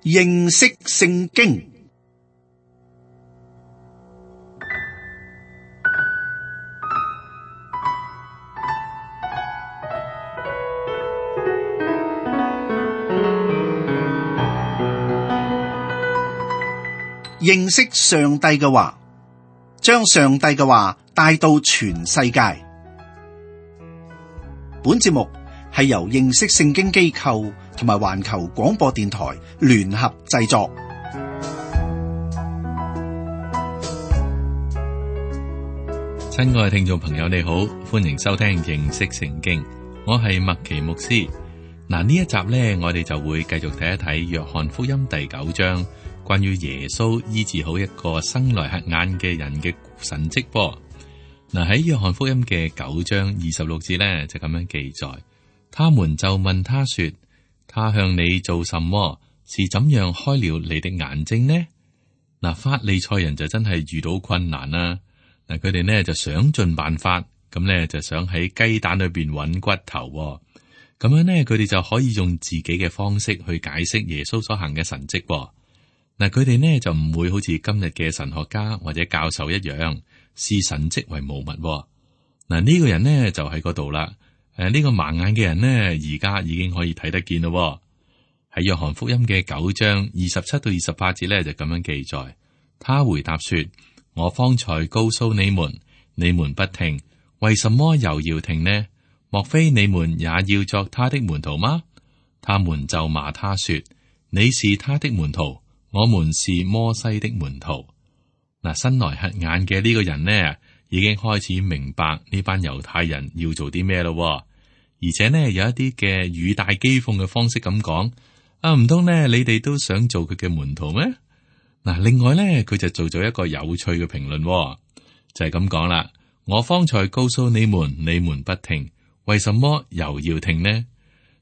認識聖經。認識上帝嘅話，將上帝嘅話帶到全世界。本節目係由認識聖經機構同埋環球廣播電台聯合製作。親愛嘅聽眾朋友，你好，歡迎收聽認識聖經。我係麥奇牧師。嗱，呢一集呢，我哋就會繼續睇一睇約翰福音第9章。關於耶穌醫治好一個生來瞎眼嘅人嘅神蹟噃。嗱，喺約翰福音嘅9章26節咧就咁樣記載，他們就問他說：他向你做什麼？是怎樣開了你的眼睛呢？嗱，法利賽人就真係遇到困難啦。嗱，佢哋呢就想盡辦法，咁呢就想喺雞蛋裏邊揾骨頭，咁樣呢佢哋就可以用自己嘅方式去解釋耶穌所行嘅神蹟。嗱，佢哋呢就唔會好似今日嘅神學家或者教授一樣視神蹟為無物。嗱，呢個人呢就喺嗰度啦。呢個盲眼嘅人呢，而家已經可以睇得見咯。喺約翰福音嘅9章27到28節呢，就咁樣記載。他回答說：我方才告訴你們，你們不聽，為什麼又要聽呢？莫非你們也要作他的門徒嗎？他們就罵他說：你是他的門徒，我們是摩西的門徒。嗱，生來瞎眼嘅呢個人呢，已經開始明白呢班猶太人要做啲咩咯。而且呢，有一啲嘅語帶譏諷嘅方式咁講，唔通呢你哋都想做佢嘅門徒咩？嗱，另外呢，佢就做咗一個有趣嘅評論，就係咁講啦。我方才告訴你們，你們不聽，為什麼又要聽呢？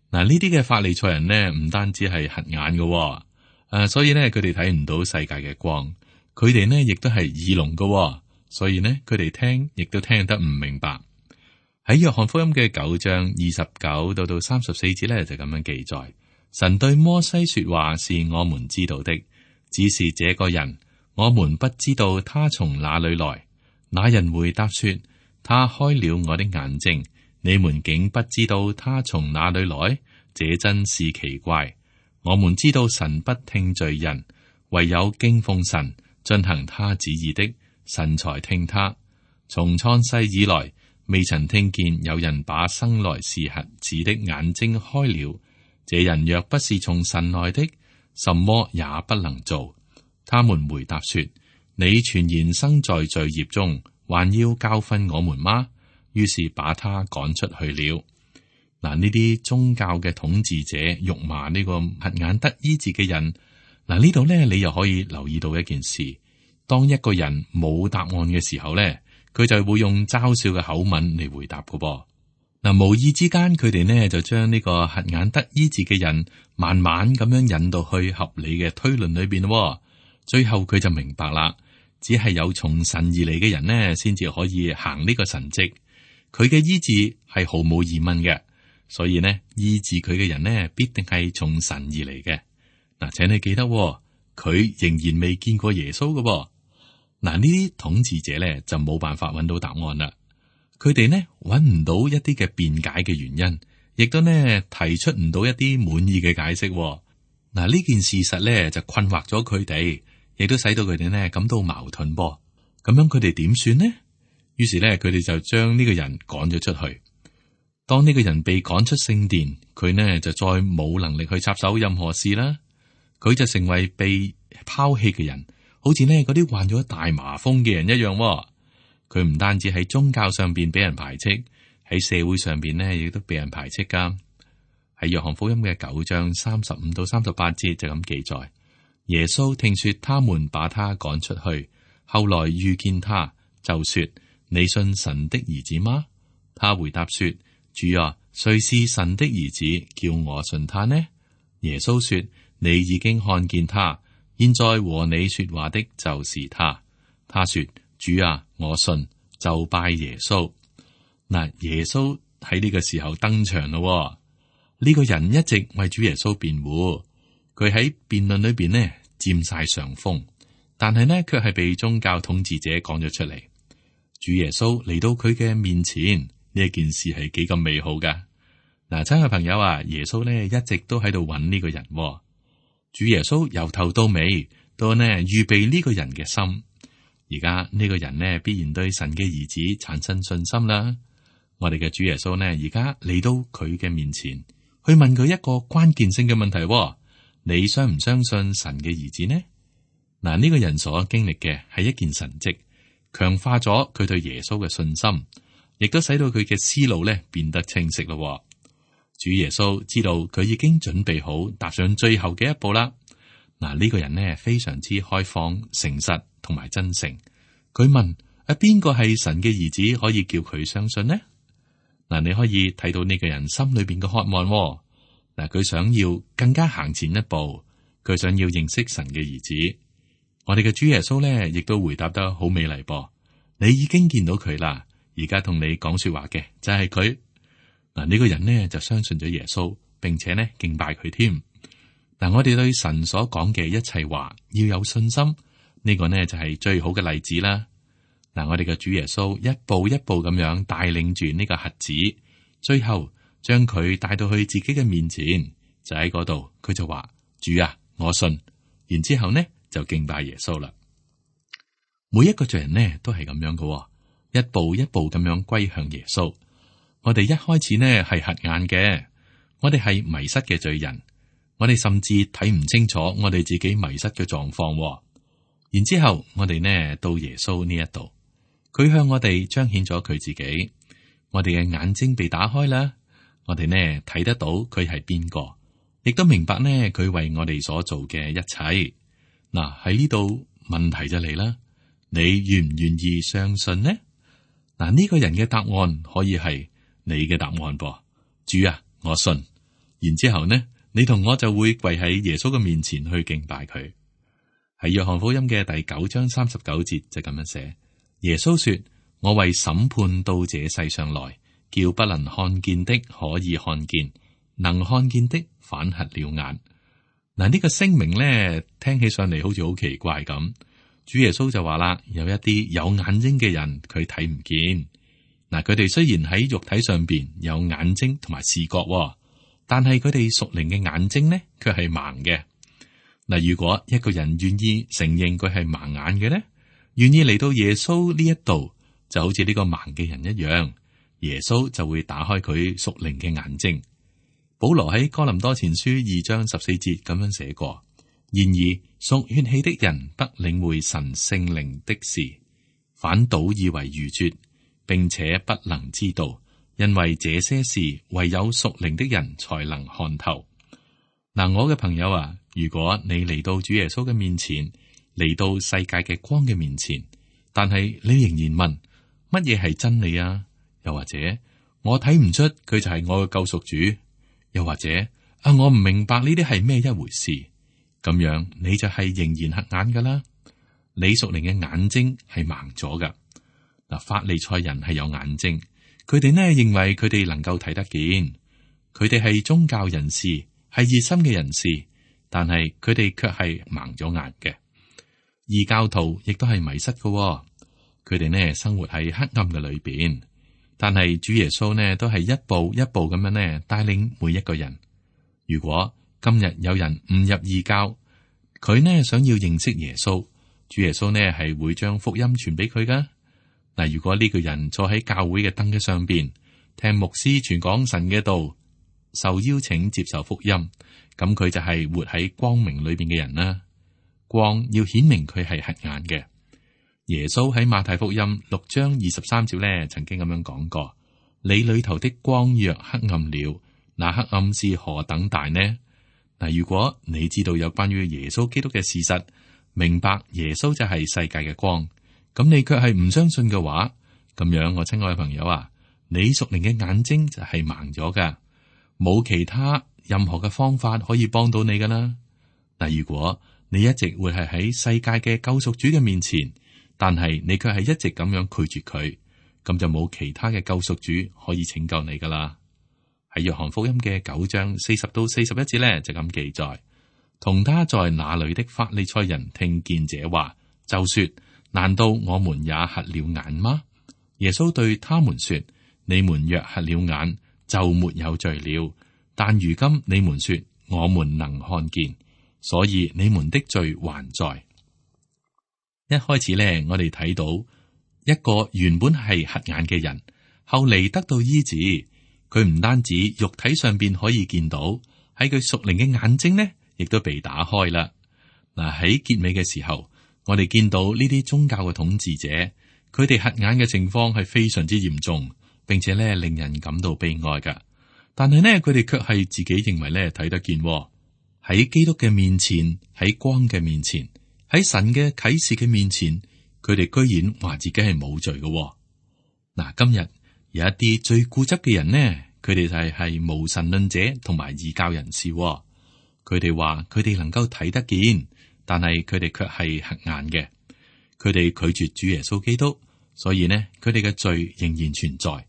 嗱，呢啲嘅法利賽人呢，唔單止係瞎眼嘅。所以呢，佢哋睇唔到世界嘅光，佢哋呢亦都係耳聾嘅，所以呢，佢哋聽亦都聽得唔明白。喺約翰福音嘅9章29到34節呢，就咁樣記載：神對摩西說話是我們知道的，只是這個人我們不知道他從哪裏來。那人回答說：他開了我的眼睛，你們竟不知道他從哪裏來，這真是奇怪。我們知道神不聽罪人，唯有敬奉神、進行他旨意的，神才聽他。從創世以來，未曾聽見有人把生來是瞎子的眼睛開了。這人若不是從神來的，什麼也不能做。他們回答說：你全然生在罪孽中，還要教訓我們嗎？於是把他趕出去了。嗱，呢啲宗教嘅統治者辱罵呢個瞎眼得醫治嘅人。嗱，呢度咧，你又可以留意到一件事：當一個人冇答案嘅時候咧，佢就會用嘲笑嘅口吻嚟回答噶噃。嗱，無意之間，佢哋呢就將呢個瞎眼得醫治嘅人慢慢咁樣引導去合理嘅推論裏邊咯。最後佢就明白啦，只係有從神而嚟嘅人呢，先至可以行呢個神蹟。佢嘅醫治係毫無疑問嘅。所以呢，醫治佢嘅人呢，必定係從神而嚟嘅。嗱，請你記得，佢仍然未見過耶穌嘅。嗱，呢啲統治者呢，就冇辦法揾到答案啦。佢哋呢，揾唔到一啲嘅辯解嘅原因，亦都呢提出唔到一啲滿意嘅解釋。嗱，呢件事實呢，就困惑咗佢哋，亦都使到佢哋呢感到矛盾噃。咁樣佢哋點算呢？於是呢，佢哋就將呢個人趕咗出去。當呢個人被趕出聖殿，佢呢就再冇能力去插手任何事啦。佢就成為被拋棄嘅人，好似呢嗰啲患咗大麻風嘅人一樣。佢唔單止喺宗教上邊俾人排斥，喺社會上邊呢亦都俾人排斥噶。喺約翰福音嘅9章35到38節就咁記載：耶穌聽說他們把他趕出去，後來遇見他，就說：你信神的兒子嗎？他回答說：主啊，誰是神的兒子，叫我信他呢？耶穌說：你已經看見他，現在和你說話的就是他。他說：主啊，我信，就拜耶穌。嗱，耶穌喺呢個時候登場咯。呢個人一直為主耶穌辯護，佢喺辯論裏邊呢佔晒上風，但係呢卻係被宗教統治者講咗出嚟。主耶穌嚟到佢嘅面前，呢一件事係幾咁美好噶。嗱，親愛朋友啊，耶穌呢一直都喺度揾呢個人。主耶穌由頭到尾都呢預備呢個人嘅心。而家呢個人呢必然對神嘅兒子產生信心啦。我哋嘅主耶穌呢而家嚟到佢嘅面前，去問佢一個關鍵性嘅問題：你相唔相信神嘅兒子呢？嗱，呢個人所經歷嘅係一件神蹟，強化咗佢對耶穌嘅信心，亦都使到佢嘅思路咧變得清晰咯。主耶穌知道佢已經準備好踏上最後嘅一步啦。嗱，呢個人呢非常之開放、誠實同埋真誠。佢問：邊個係神嘅兒子，可以叫佢相信呢？嗱，你可以睇到呢個人心裏邊嘅渴望。嗱，佢想要更加行前一步，佢想要認識神嘅兒子。我哋嘅主耶穌咧，亦都回答得好美麗噃。你已經見到佢啦，而家同你講說話嘅就係佢。嗱，呢個人呢就相信咗耶穌，並且呢敬拜佢添。嗱，我哋對神所講嘅一切話要有信心，呢個呢就係最好嘅例子啦。嗱，我哋嘅主耶穌一步一步咁樣帶領住呢個瞎子，最後將佢帶到去自己嘅面前，就喺嗰度，佢就話：主啊，我信。然之後呢就敬拜耶穌啦。每一個罪人呢都係咁樣嘅，一步一步咁樣歸向耶穌。我哋一開始呢係瞎眼嘅，我哋係迷失嘅罪人，我哋甚至睇唔清楚我哋自己迷失嘅狀況。然之後我哋呢到耶穌呢一度，佢向我哋彰顯咗佢自己，我哋嘅眼睛被打開啦，我哋呢睇得到佢係邊個，亦都明白呢佢為我哋所做嘅一切。嗱，喺呢度問題就嚟啦，你願唔願意相信呢？嗱，呢個人嘅答案可以係你嘅答案噃。主啊，我信。然之後呢，你同我就會跪喺耶穌嘅面前去敬拜佢。喺約翰福音嘅第9章39節就咁樣寫：耶穌說，我為審判到這世上來，叫不能看見的可以看見，能看見的反瞎了眼。嗱，呢個聲明咧，聽起上嚟好似好奇怪咁。主耶穌就話啦，有一啲有眼睛嘅人，佢睇唔見。嗱，佢哋雖然喺肉體上邊有眼睛同埋視覺，但係佢哋屬靈嘅眼睛呢，卻係盲嘅。嗱，如果一個人願意承認佢係盲眼嘅咧，願意嚟到耶穌呢一度，就好似呢個盲嘅人一樣，耶穌就會打開佢屬靈嘅眼睛。保羅喺哥林多前書2章14節咁樣寫過：然而屬血氣的人不領會神聖靈的事，反倒以為愚拙，並且不能知道，因為這些事唯有屬靈的人才能看透。嗱，我嘅朋友啊，如果你嚟到主耶穌嘅面前，嚟到世界嘅光嘅面前，但係你仍然問乜嘢係真理啊？又或者我睇唔出佢就係我嘅救贖主？又或者我唔明白呢啲係咩一回事，咁樣你就係仍然瞎眼噶啦。你屬靈嘅眼睛係盲咗噶。嗱，法利賽人係有眼睛，佢哋呢認為佢哋能夠睇得見，佢哋係宗教人士，係熱心嘅人士，但係佢哋卻係盲咗眼嘅。異教徒亦都係迷失嘅，佢哋呢生活喺黑暗嘅裏邊。但係主耶穌呢，都係一步一步咁樣呢帶領每一個人。如果今日有人誤入異教，佢呢想要認識耶穌，主耶穌呢係會將福音傳俾佢噶。嗱，如果呢個人坐喺教會嘅凳嘅上邊，聽牧師傳講神嘅道，受邀請接受福音，咁佢就係活喺光明裏邊嘅人啦。光要顯明佢係瞎眼嘅。耶穌喺馬太福音6章23節咧，曾經咁樣講過：你裏頭的光若黑暗了，那黑暗是何等大呢？嗱，如果你知道有關於耶穌基督嘅事實，明白耶穌就係世界嘅光，咁你卻係唔相信嘅話，咁樣我親愛嘅朋友啊，你屬靈嘅眼睛就係盲咗噶，冇其他任何嘅方法可以幫到你噶啦。嗱，如果你一直會係喺世界嘅救贖主嘅面前，但係你卻係一直咁樣拒絕佢，咁就冇其他嘅救贖主可以拯救你噶啦。喺約翰福音嘅9章40到41節咧，就咁記載：同他在那裏的法利賽人聽見這話，就說：難道我們也瞎了眼嗎？耶穌對他們說：你們若瞎了眼，就沒有罪了。但如今你們說我們能看見，所以你們的罪還在。一開始呢，我哋睇到一個原本係瞎眼嘅人，後嚟得到醫治。佢唔單止肉體上邊可以見到，喺佢屬靈嘅眼睛呢，亦都被打開啦。嗱，喺結尾嘅時候，我哋見到呢啲宗教嘅統治者，佢哋瞎眼嘅情況係非常之嚴重，並且咧令人感到悲哀噶。但係呢，佢哋卻係自己認為咧睇得見。喺基督嘅面前，喺光嘅面前，喺神嘅啟示嘅面前，佢哋居然話自己係冇罪嘅。嗱，今日有一啲最固執嘅人呢，佢哋就係無神論者同埋異教人士。佢哋話佢哋能夠睇得見，但係佢哋卻係瞎眼嘅。佢哋拒絕主耶穌基督，所以呢，佢哋嘅罪仍然存在。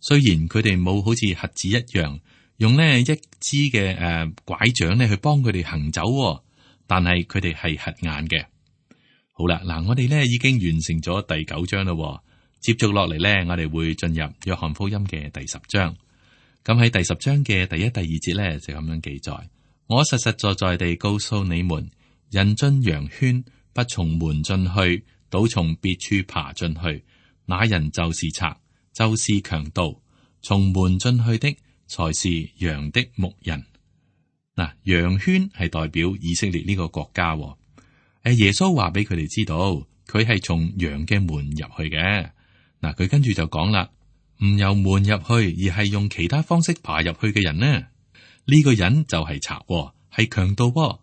雖然佢哋冇好似瞎子一樣用呢一支嘅拐杖呢去幫佢哋行走，但係佢哋係瞎眼嘅。好啦，嗱，我哋呢已經完成咗第9章啦。接續落嚟呢，我哋會進入約翰福音嘅第10章。咁喺第10章嘅第1、第2節呢，就咁樣記載：我實實在在地告訴你們，人進羊圈不從門進去，倒從別處爬進去，那人就是賊，就是強盜。從門進去的才是羊的牧人。嗱，羊圈係代表以色列呢個國家。耶穌話俾佢哋知道，佢係從羊嘅門入去嘅。嗱，佢跟住就講啦，唔由門入去，而係用其他方式爬入去嘅人呢？呢個人就係賊，係強盜。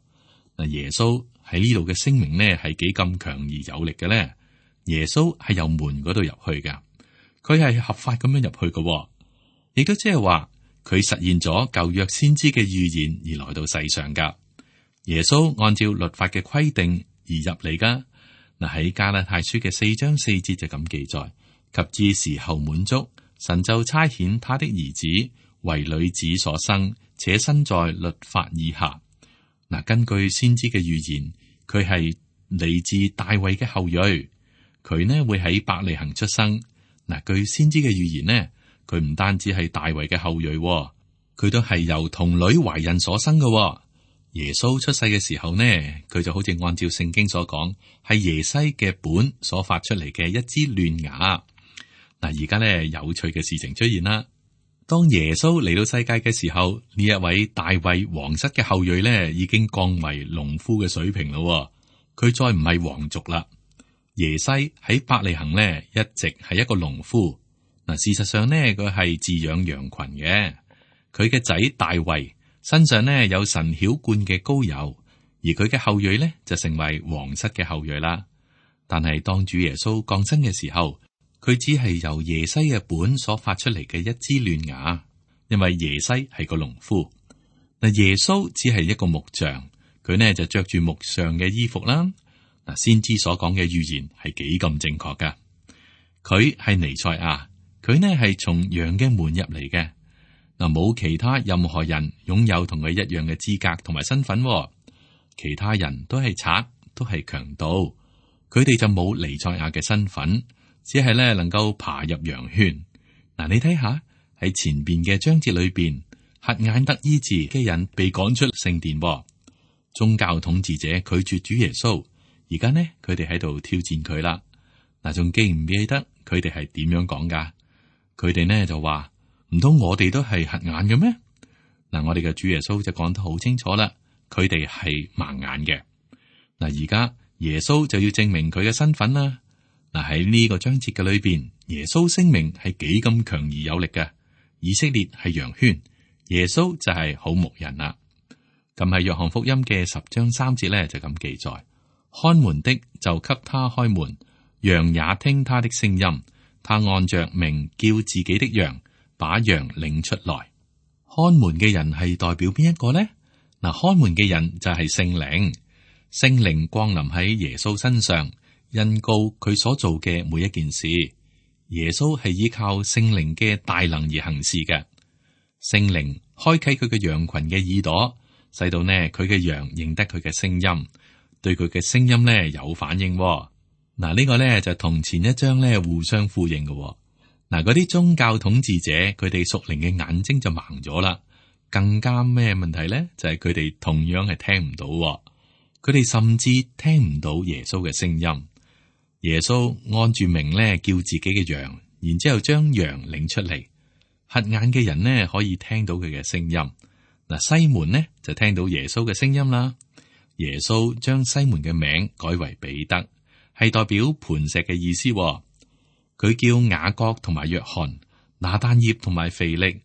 嗱，耶穌喺呢度嘅聲明呢，係幾咁強而有力嘅咧？耶穌係由門嗰度入去嘅，佢係合法咁樣入去嘅，亦都即係話佢實現咗舊約先知嘅預言而來到世上噶。耶穌按照律法嘅規定而入嚟噶。嗱，喺加拉太書嘅4章4節就咁記載：及至時候滿足，神就差遣他的兒子為女子所生，且生在律法以下。嗱，根據先知嘅預言，佢係嚟自大衛嘅後裔，佢呢會喺伯利恆出生。嗱，據先知嘅預言呢，佢唔單止係大衛嘅後裔，佢都係由童女懷孕所生嘅。耶穌出世嘅時候呢，佢就好似按照聖經所講，係耶西嘅本所發出嚟嘅一支嫩芽。嗱，而家呢，有趣嘅事情出現啦。當耶穌嚟到世界嘅時候，呢一位大衛皇室嘅後裔呢，已經降為農夫嘅水平咯。佢再唔係皇族啦。耶西喺伯利恆呢，一直係一個農夫。嗱，事實上呢，佢係飼養羊群嘅。佢嘅仔大衛身上呢，有神澆灌嘅膏油，而佢嘅後裔呢，就成為皇室嘅後裔啦。但係當主耶穌降生嘅時候，佢只係由耶西嘅本所發出嚟嘅一支嫩芽，因為耶西係個農夫。嗱，耶穌只係一個木匠，佢呢就着住木匠嘅衣服啦。嗱，先知所講嘅預言係幾咁正確噶？佢係彌賽亞，佢呢係從羊嘅門入嚟嘅。嗱，冇其他任何人擁有同佢一樣嘅資格同埋身份，其他人都係賊，都係強盜，佢哋就冇彌賽亞嘅身份，只係咧能夠爬入羊圈。嗱，你睇下喺前邊嘅章節裏邊，瞎眼得醫治嘅人被趕出聖殿，宗教統治者拒絕主耶穌，而家呢佢哋喺度挑戰佢啦。嗱，仲記唔記得佢哋係點樣講噶？佢哋呢就話：唔通我哋都係瞎眼嘅咩？嗱，我哋嘅主耶穌就講得好清楚啦，佢哋係盲眼嘅。嗱，而家耶穌就要證明佢嘅身份啦。嗱，喺呢個章節嘅裏邊，耶穌聲明係幾咁強而有力嘅。以色列係羊圈，耶穌就係好牧人啦。咁喺約翰福音嘅10章3節咧就咁記載：看門的就給他開門，羊也聽他的聲音，他按着名叫自己的羊，把羊領出來。看門嘅人係代表邊一個呢？嗱，看門嘅人就係聖靈，聖靈降臨喺耶穌身上，印告佢所做嘅每一件事。耶穌係依靠聖靈嘅大能而行事嘅。聖靈開啟佢嘅羊群嘅耳朵，使到呢佢嘅羊認得佢嘅聲音，對佢嘅聲音呢有反應。嗱，呢個呢就同前一章呢互相呼應嘅。嗱，嗰啲宗教統治者佢哋屬靈嘅眼睛就盲咗啦。更加咩問題呢？就係佢哋同樣係聽唔到，佢哋甚至聽唔到耶穌嘅聲音。耶穌按住名呢叫自己嘅羊，然之後將羊領出嚟。瞎眼嘅人呢可以聽到佢嘅聲音。嗱，西門呢就聽到耶穌嘅聲音啦。耶穌將西門嘅名改為彼得，係代表磐石嘅意思。佢叫雅各同埋約翰、拿但業同埋腓力。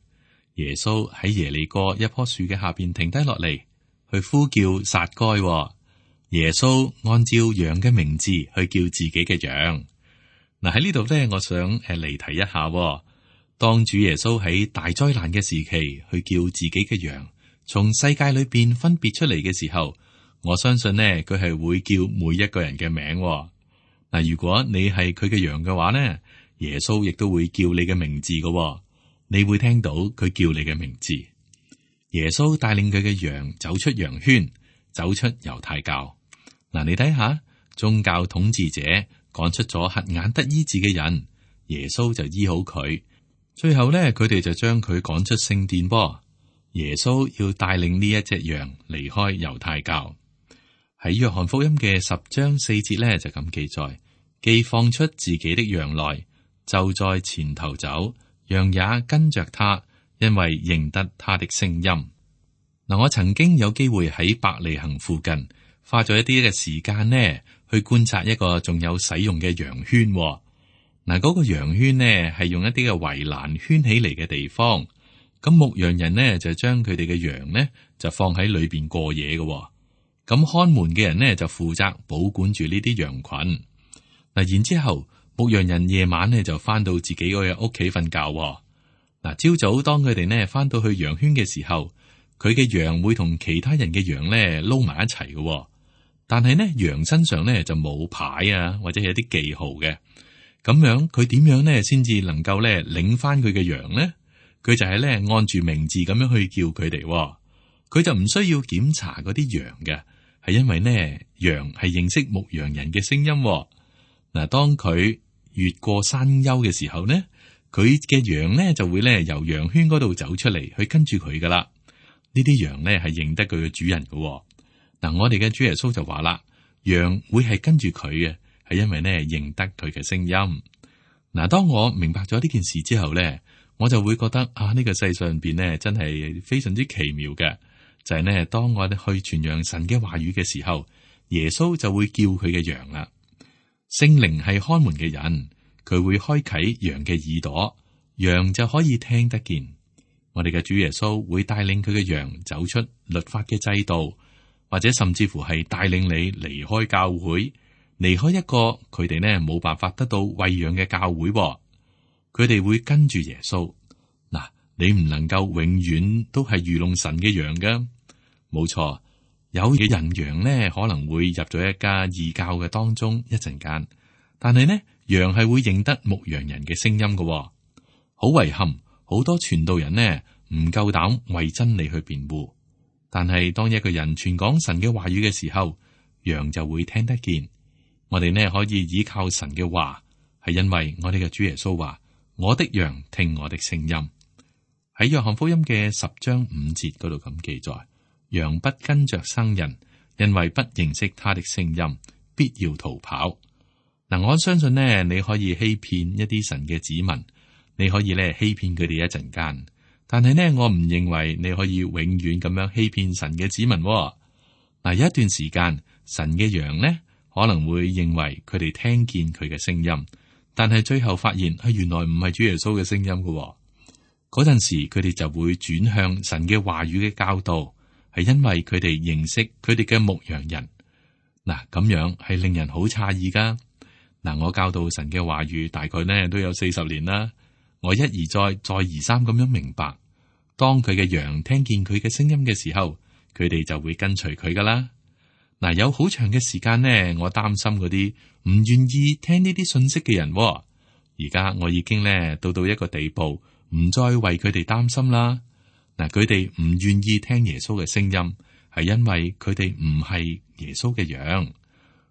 耶穌喺耶利哥一棵樹嘅下邊停低落嚟，去呼叫撒該。耶穌按照羊嘅名字去叫自己嘅羊。嗱，喺呢度咧，我想離題一下。當主耶穌喺大災難嘅時期去叫自己嘅羊從世界裏邊分別出嚟嘅時候，我相信呢，佢係會叫每一個人嘅名。嗱，如果你係佢嘅羊嘅話呢，耶穌亦都會叫你嘅名字嘅。你會聽到佢叫你嘅名字。耶穌帶領佢嘅羊走出羊圈，走出猶太教。嗱，你睇下，宗教統治者趕出咗瞎眼得醫治嘅人，耶穌就醫好佢。最後咧，佢哋就將佢趕出聖殿噃。耶穌要帶領呢一隻羊離開猶太教。喺約翰福音嘅10章4節咧就咁記載：既放出自己的羊來，就在前頭走。羊也跟着他，因為認得他的聲音。嗱，我曾經有機會喺伯利恆附近花咗一啲嘅時間呢，去觀察一個仲有使用嘅羊圈。嗱，嗰個羊圈呢係用一啲嘅圍欄圈起嚟嘅地方。咁牧羊人呢就將佢哋嘅羊呢就放喺裏邊過夜嘅。咁看門嘅人呢就負責保管住呢啲羊群。嗱，然之後。牧羊人夜晚呢就翻到自己嗰個屋企瞓覺。嗱，朝早當佢哋呢翻到去羊圈嘅時候，佢嘅羊會同其他人嘅羊呢撈埋一齊嘅。但係呢，羊身上呢就冇牌啊，或者係一啲記號嘅。咁樣佢點樣呢先至能夠呢領翻佢嘅羊呢？佢就係呢按住名字咁樣去叫佢哋。佢就唔需要檢查嗰啲羊嘅，係因為呢羊係認識牧羊人嘅聲音。嗱，當佢越過山丘嘅時候呢，佢嘅羊呢就會呢由羊圈嗰度走出嚟，去跟住佢噶啦。呢啲羊呢係認得佢嘅主人噶。嗱，我哋嘅主耶穌就話啦，羊會係跟住佢嘅，係因為呢認得佢嘅聲音。嗱，當我明白咗呢件事之後呢，我就會覺得啊，呢個世上邊呢真係非常之奇妙嘅，就係呢，當我哋去傳揚神嘅話語嘅時候，耶穌就會叫佢嘅羊啦。聖靈係看門嘅人，佢會開啟羊嘅耳朵，羊就可以聽得見。我哋嘅主耶穌會帶領佢嘅羊走出律法嘅制度，或者甚至乎係帶領你離開教會，離開一個佢哋呢冇辦法得到餵養嘅教會。佢哋會跟住耶穌。嗱，你唔能夠永遠都係愚弄神嘅羊噶，冇錯。有嘅人羊呢可能會入咗一家異教嘅當中一陣間，但係呢羊係會認得牧羊人嘅聲音嘅。好遺憾，好多傳道人呢唔夠膽為真理去辯護，但係當一個人傳講神嘅話語嘅時候，羊就會聽得見。我哋呢可以依靠神嘅話，係因為我哋嘅主耶穌話：我的羊聽我的聲音。喺約翰福音嘅10章5節嗰度咁記載。羊不跟着生人，因為不認識他的聲音，必要逃跑。嗱，我相信呢，你可以欺騙一啲神嘅子民，你可以咧欺騙佢哋一陣間，但係呢，我唔認為你可以永遠咁樣欺騙神嘅子民。嗱，有一段時間，神嘅羊呢可能會認為佢哋聽見佢嘅聲音，但係最後發現原來唔係主耶穌嘅聲音嘅。嗰陣時，佢哋就會轉向神嘅話語嘅教導。係因為佢哋認識佢哋嘅牧羊人。嗱，咁樣係令人好詫異噶。嗱，我教導神嘅話語大概呢都有40年啦。我一而再，再而三咁樣明白，當佢嘅羊聽見佢嘅聲音嘅時候，佢哋就會跟隨佢噶啦。嗱，有好長嘅時間呢，我擔心嗰啲唔願意聽呢啲信息嘅人。而家我已經呢到一個地步，唔再為佢哋擔心啦。嗱，佢哋唔願意聽耶穌嘅聲音，係因為佢哋唔係耶穌嘅羊。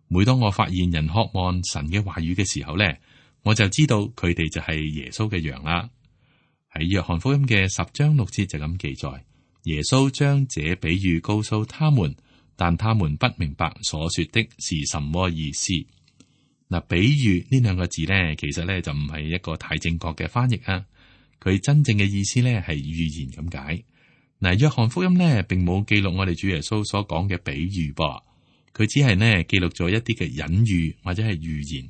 每當我發現人渴望神嘅話語嘅時候咧，我就知道佢哋就係耶穌嘅羊啦。喺約翰福音嘅10章6節就咁記載，耶穌將這比喻告訴他們，但他們不明白所說的是什麼意思。嗱，比喻呢兩個字咧，其實咧就唔係一個太正確嘅翻譯啊。佢真正嘅意思咧係預言咁解。嗱，約翰福音咧並冇記錄我哋主耶穌所講嘅比喻噃，佢只係呢記錄咗一啲嘅隱喻或者係預言。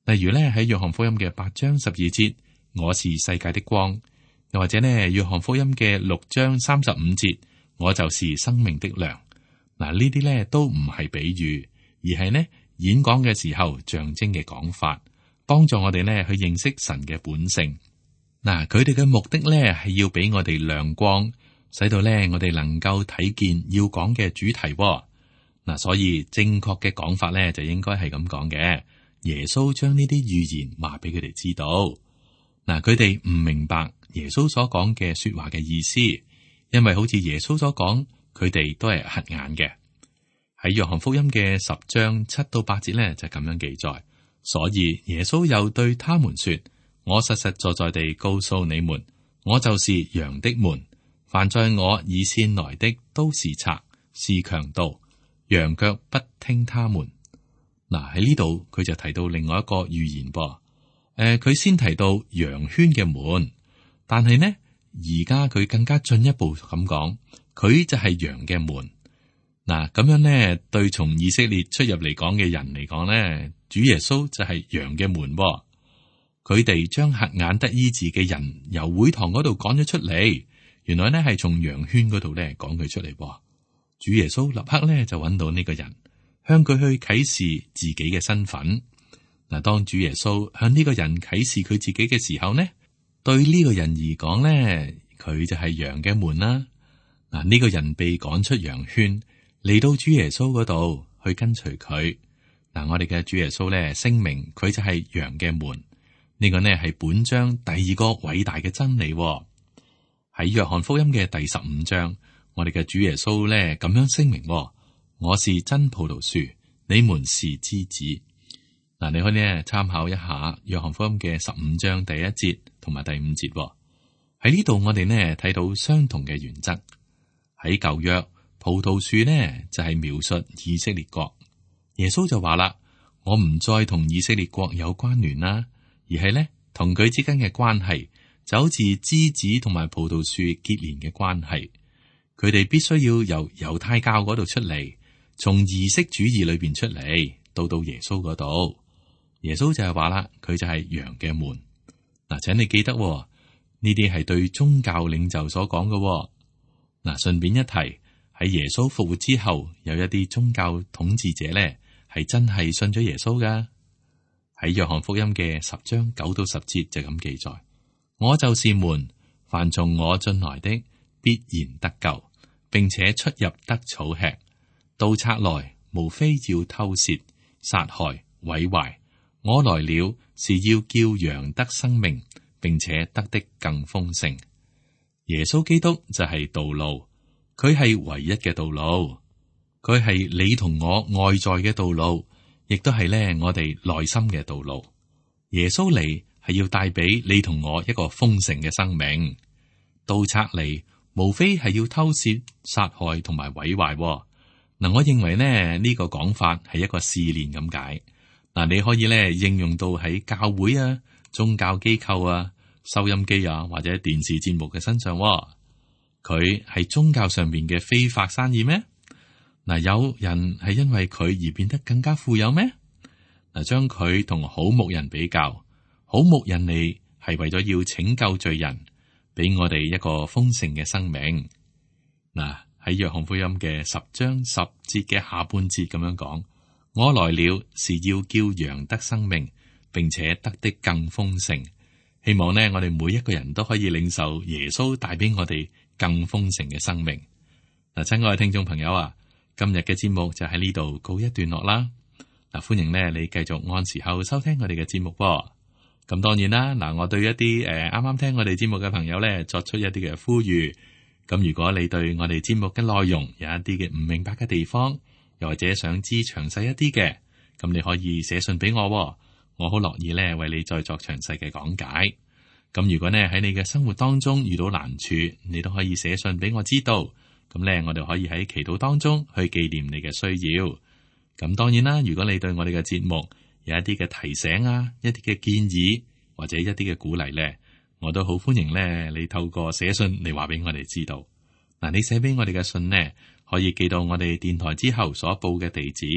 例如咧喺約翰福音嘅8章12節，我是世界的光；又或者呢約翰福音嘅6章35節，我就是生命的糧。嗱，呢啲咧都唔係比喻，而係呢演講嘅時候象徵嘅講法，幫助我哋呢去認識神嘅本性。嗱，佢哋嘅目的咧係要俾我哋亮光，使到咧我哋能夠睇見要講嘅主題。嗱，所以正確嘅講法咧就應該係咁講嘅。耶穌將呢啲預言話俾佢哋知道。嗱，佢哋唔明白耶穌所講嘅說話嘅意思，因為好似耶穌所講，佢哋都係瞎眼嘅。喺約翰福音嘅10章7到8節咧就咁樣記載。所以耶穌又對他們說：我實實在在地告訴你們，我就是羊的門。凡在我以先來的都是賊，是強盜，羊卻不聽他們。嗱，喺呢度佢就提到另外一個預言噃。佢先提到羊圈嘅門，但係呢而家佢更加進一步咁講，佢就係羊嘅門。嗱，咁樣呢對從以色列出入嚟講嘅人嚟講呢，主耶穌就係羊嘅門噃。佢哋將瞎眼得醫治嘅人由會堂嗰度趕咗出嚟，原來呢係從羊圈嗰度咧趕佢出嚟噃。主耶穌立刻咧就揾到呢個人，向佢去啟示自己嘅身份。嗱，當主耶穌向呢個人啟示佢自己嘅時候呢，對呢個人而講咧，佢就係羊嘅門啦。嗱，呢個人被趕出羊圈，嚟到主耶穌嗰度去跟隨佢。嗱，我哋嘅主耶穌咧聲明佢就係羊嘅門。呢個呢係本章第二個偉大嘅真理。喺約翰福音嘅第15章，我哋嘅主耶穌咧咁樣聲明：我是真葡萄樹，你們是枝子。嗱，你可以呢參考一下約翰福音嘅15章第1節同埋第5節。喺呢度我哋呢睇到相同嘅原則。喺舊約，葡萄樹呢就係描述以色列國。耶穌就話啦：我唔再同以色列國有關聯啦。而係咧，同佢之間嘅關係就好似枝子同埋葡萄樹結連嘅關係。佢哋必須要由猶太教嗰度出嚟，從儀式主義裏邊出嚟，到耶穌嗰度。耶穌就係話啦，佢就係羊嘅門。嗱，請你記得呢啲係對宗教領袖所講嘅。嗱，順便一提，喺耶穌復活之後，有一啲宗教統治者咧係真係信咗耶穌噶。喺約翰福音嘅10章9到10節就咁記載：我就是門，凡從我進來的必然得救，並且出入得草吃。盜賊來，無非要偷竊、殺害、毀壞。我來了，是要叫羊得生命，並且得的更豐盛。耶穌基督就係道路，佢係唯一嘅道路，佢係你同我外在嘅道路。亦都係咧，我哋內心嘅道路。耶穌嚟係要帶俾你同我一個豐盛嘅生命。盜賊嚟，無非係要偷竊、殺害同埋毀壞。嗱，我認為呢呢個講法係一個試煉咁解。嗱，你可以咧應用到喺教會啊、宗教機構啊、收音機啊或者電視節目嘅身上。佢係宗教上面嘅非法生意咩？嗱，有人係因為佢而變得更加富有咩？嗱，將佢同好牧人比較，好牧人嚟係為咗要拯救罪人，俾我哋一個豐盛嘅生命。嗱，喺約翰福音嘅10章10節嘅下半節咁樣講：我來了，是要叫羊得生命，並且得的更豐盛。希望呢，我哋每一個人都可以領受耶穌帶俾我哋更豐盛嘅生命。嗱，親愛嘅聽眾朋友啊！今日嘅節目就喺呢度告一段落啦。嗱，歡迎咧你繼續按時候收聽我哋嘅節目噃。咁當然啦，嗱，我對一啲啱啱聽我哋節目嘅朋友咧作出一啲嘅呼籲。咁如果你對我哋節目嘅內容有一啲嘅唔明白嘅地方，又或者想知詳細一啲嘅，咁你可以寫信俾我，我好樂意咧為你再作詳細嘅講解。咁如果呢喺你嘅生活當中遇到難處，你都可以寫信俾我知道。咁咧我哋可以喺祈禱當中去紀念你嘅需要。咁當然啦，如果你對我哋嘅節目有一啲嘅提醒啊，一啲嘅建議或者一啲嘅鼓勵咧，我都好歡迎咧你透過寫信嚟話俾我哋知道。嗱，你寫俾我哋嘅信呢，可以寄到我哋電台之後所報嘅地址，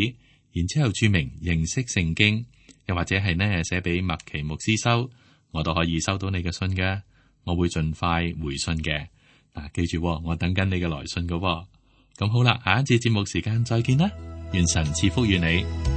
然之後注明認識聖經，又或者係呢寫俾麥奇牧師收，我都可以收到你嘅信嘅，我會盡快回信嘅。嗱，記住，我等緊你嘅來信嘅。咁好啦，下一次節目時間再見啦，願神賜福與你。